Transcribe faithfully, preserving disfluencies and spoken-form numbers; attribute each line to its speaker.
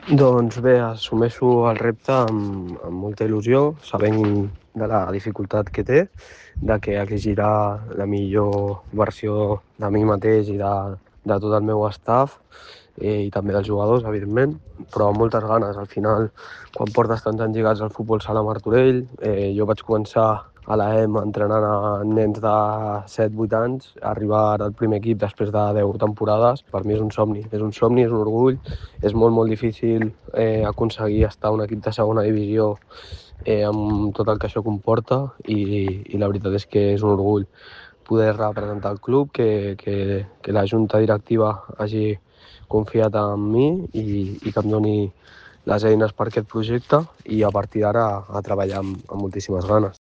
Speaker 1: Doncs bé, assumeixo el repte amb, amb molta il·lusió, sabent de la dificultat que té, de que exigirà la millor versió de mi mateix i de, de tot el meu staff, eh, i també dels jugadors, evidentment, però amb moltes ganes. Al final, quan portes tants anys lligats al futbol sala Martorell, eh, jo vaig començar a l'A E M entrenant a nens de set vuit anys, arribar al primer equip després de deu temporades, per mi és un somni, és un somni, és un orgull, és molt, molt difícil eh, aconseguir estar a un equip de segona divisió eh, amb tot el que això comporta i, i la veritat és que és un orgull poder representar el club, que, que, que la junta directiva hagi confiat en mi i, i que em doni les eines per aquest projecte i a partir d'ara a treballar amb, amb moltíssimes ganes.